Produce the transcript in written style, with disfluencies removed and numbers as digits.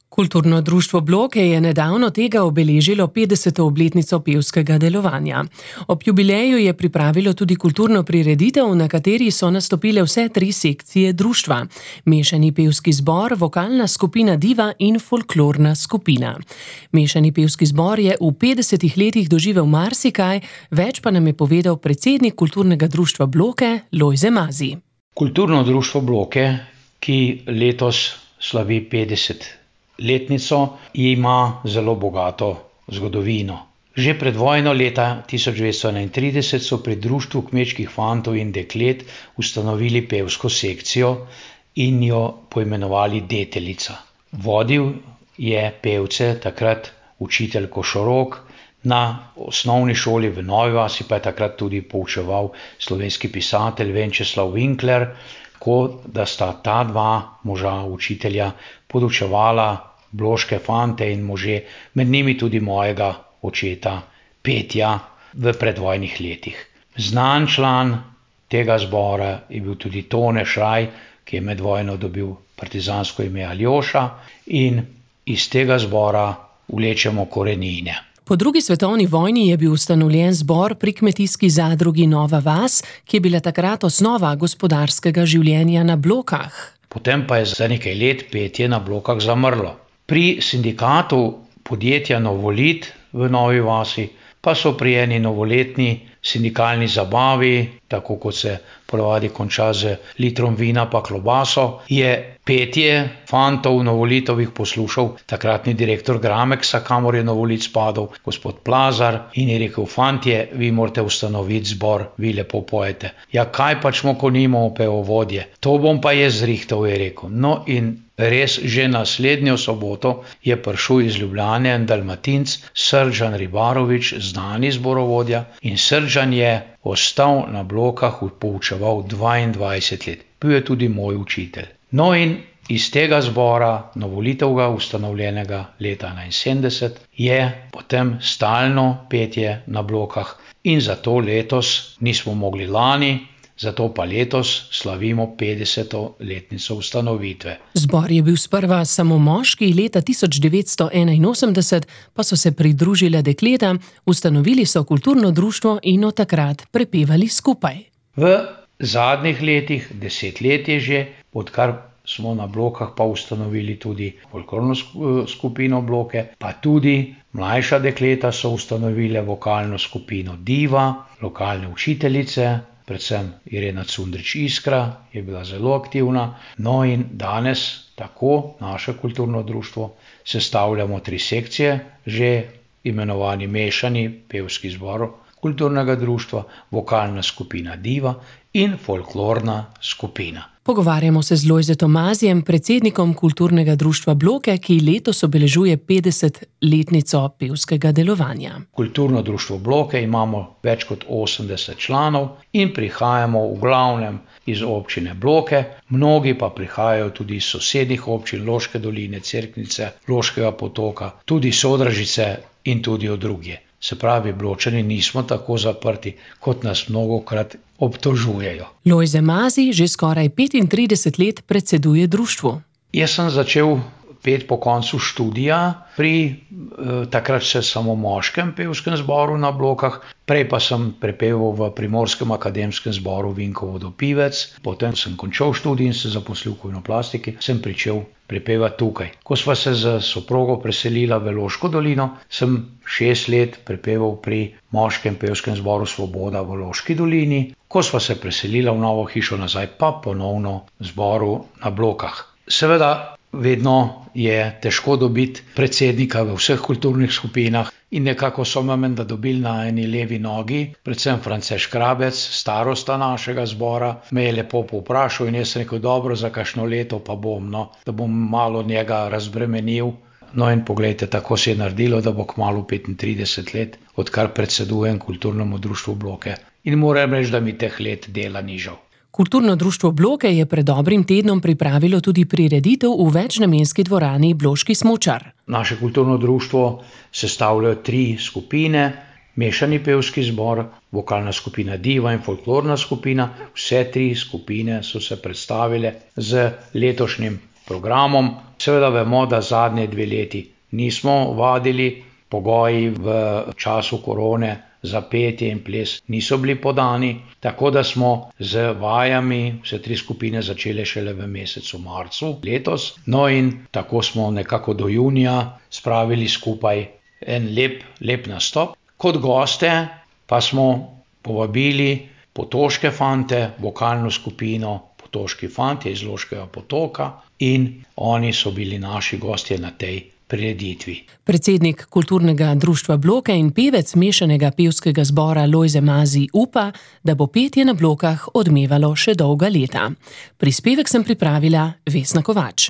Kulturno društvo Bloke je nedavno tega obeležilo 50. obletnico pevskega delovanja. Ob jubileju je pripravilo tudi kulturno prireditev, na kateri so nastopile vse 3 sekcije društva: mešani pevski zbor, vokalna skupina Diva in folklorna skupina. Mešani pevski zbor je v 50 letih doživel marsikaj, več pa nam je povedal predsednik kulturnega društva Bloke, Lojze Mazi. Kulturno društvo Bloke, ki letos slavi 50 letnico, ima zelo bogato zgodovino. Že pred vojno leta 1931 so pri društvu kmečkih fantov in deklet ustanovili pevsko sekcijo in jo poimenovali Deteljica. Vodil je pevce takrat učitelj Košorok, na osnovni šoli v Novi vasi pa je takrat tudi poučeval slovenski pisatelj Venčeslav Winkler, tako da sta ta 2 moža učitelja podučevala bloške fante in može, med njimi tudi mojega očeta petja v predvojnih letih. Znan član tega zbora je bil tudi Tone Šraj, ki je med vojno dobil partizansko ime Aljoša, in iz tega zbora vlečemo korenine. Po 2. svetovni vojni je bil ustanovljen zbor pri kmetijski zadrugi Nova vas, ki je bila takrat osnova gospodarskega življenja na Blokah. Potem pa je za nekaj let petje na Blokah zamrlo. Pri sindikatu podjetja Novolit v Novi vasi pa so pri eni novoletni sindikalni zabavi, tako kot se ponavadi konča z litrom vina pa klobaso, je petje fantov Novolitovih poslušal takratni direktor Grameksa, kamor je Novolit spadal, gospod Plazar, in je rekel: fantje, vi morate ustanoviti zbor, vi lepo pojete. Ja, kaj pač smo, ko nimamo pevovodje? To bom pa jaz zrihtal, je rekel. No, in res, že naslednjo soboto je prišel iz Ljubljane en Dalmatinc, Srdžan Ribarovič, znani zborovodja, in Srdžan je ostal na Blokah, poučeval 22 let. Bil je tudi moj učitelj. No, in iz tega zbora, Novolitevega, ustanovljenega leta 1971, je potem stalno petje na Blokah, in zato letos nismo mogli lani, zato pa letos slavimo 50. letnico ustanovitve. Zbor je bil sprva samo moški, leta 1981 pa so se pridružile dekleta, ustanovili so kulturno društvo in od takrat prepevali skupaj. V zadnjih letih, 10 let je že, odkar smo na Blokah pa ustanovili tudi folklorno skupino Bloke, pa tudi mlajša dekleta so ustanovile vokalno skupino Diva, lokalne učiteljice, predvsem Irena Cundrič Iskra je bila zelo aktivna. No, in danes tako naše kulturno društvo sestavljamo 3 sekcije, že imenovani mešani pevski zbor kulturnega društva, vokalna skupina Diva in folklorna skupina. Pogovarjamo se z Lojzetom Mazijem, predsednikom kulturnega društva Bloke, ki letos obeležuje 50-letnico pevskega delovanja. Kulturno društvo Bloke imamo več kot 80 članov in prihajamo v glavnem iz občine Bloke, mnogi pa prihajajo tudi iz sosednjih občin, Loške doline, Cerknice, Loškega potoka, tudi Sodražice in tudi od drugje. Se pravi, Bločani nismo tako zaprti, kot nas mnogokrat obtožujejo. Lojze Mazi že skoraj 35 let predseduje društvu. Jaz sem začel peti po koncu študija pri takrat še samo moškem pevskem zboru na Blokah, prej pa sem prepeval v Primorskem akademskem zboru Vinkovo do Pivec, potem sem končal študij in se zaposlil v Kojnoplastiki, sem pričel prepevati tukaj. Ko sva se z soprogo preselila v Loško dolino, sem 6 let prepeval pri moškem pevskem zboru Svoboda v Loški dolini, ko sva se preselila v novo hišo nazaj, pa ponovno zboru na Blokah. Seveda, vedno je težko dobiti predsednika v vseh kulturnih skupinah in nekako so me menda dobili na eni levi nogi, predvsem France Škrabec, starosta našega zbora, me je lepo povprašal in jaz sem rekel: dobro, za kakšno leto pa bom, no, da bom malo njega razbremenil. No, in poglejte, tako se je naredilo, da bo kmalu 35 let, odkar predsedujem kulturnemu društvu Bloke. In moram reči, da mi teh let dela ni žal. Kulturno društvo Bloke je pred dobrim tednom pripravilo tudi prireditev v večnamenski dvorani Bloški smučar. Naše kulturno društvo sestavljajo 3 skupine: mešani pevski zbor, vokalna skupina Diva in folklorna skupina. Vse 3 skupine so se predstavile z letošnjim programom. Seveda vemo, da zadnje 2 leti nismo vadili, pogoji v času korone za petje in ples niso bili podani, tako da smo z vajami vse 3 skupine začele šele v mesecu marcu letos. No in tako smo nekako do junija spravili skupaj en lep nastop. Kot goste pa smo povabili potoške fante, vokalno skupino Potoški fantje iz Loškega Potoka, in oni so bili naši gostje na tej prireditvi. Predsednik Kulturnega društva Bloke in pevec mešanega pevskega zbora Lojze Mazij upa, da bo petje na Blokah odmevalo še dolga leta. Prispevek sem pripravila Vesna Kovač.